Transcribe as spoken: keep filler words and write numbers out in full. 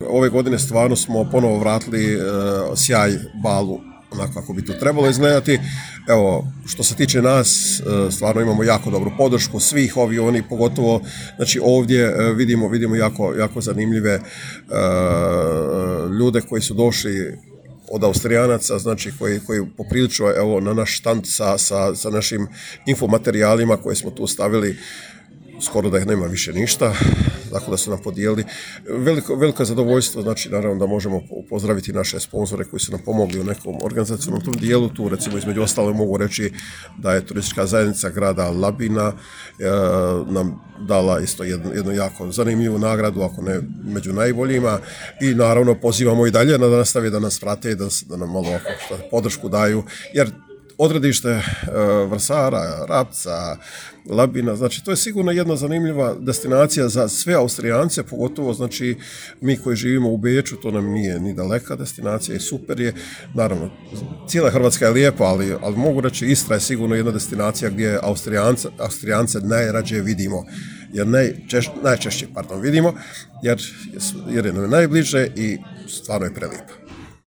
ove godine stvarno smo ponovo vratili uh, sjaj balu onako kako bi to trebalo izgledati. Evo, što se tiče nas, stvarno imamo jako dobru podršku svih ovi oni, pogotovo znači ovdje vidimo, vidimo jako, jako zanimljive uh, ljude koji su došli od Austrijanaca, znači koji, koji poprilično evo, na naš štand sa, sa, sa našim infomaterijalima koje smo tu stavili, skoro da ih nema više ništa, tako da su nam podijelili. Veliko, veliko zadovoljstvo, znači naravno da možemo pozdraviti naše sponzore koji su nam pomogli u nekom organizacijnom tom dijelu. Tu recimo između ostalo mogu reći da je turistička zajednica grada Labina e, nam dala isto jednu, jednu jako zanimljivu nagradu, ako ne među najboljima, i naravno pozivamo i dalje da nastave da nas prate i da, da nam malo podršku daju, jer odredište e, Vrsara, Rapca, Labina, znači to je sigurno jedna zanimljiva destinacija za sve Austrijance, pogotovo znači mi koji živimo u Beču, to nam nije ni daleka destinacija i super je. Naravno, cijela Hrvatska je lijepa, ali, ali mogu reći Istra je sigurno jedna destinacija gdje Austrijance, Austrijance najrađe vidimo, jer najčešće, najčešće pardon, vidimo, jer, jer je nam najbliže i stvarno je prelijepa.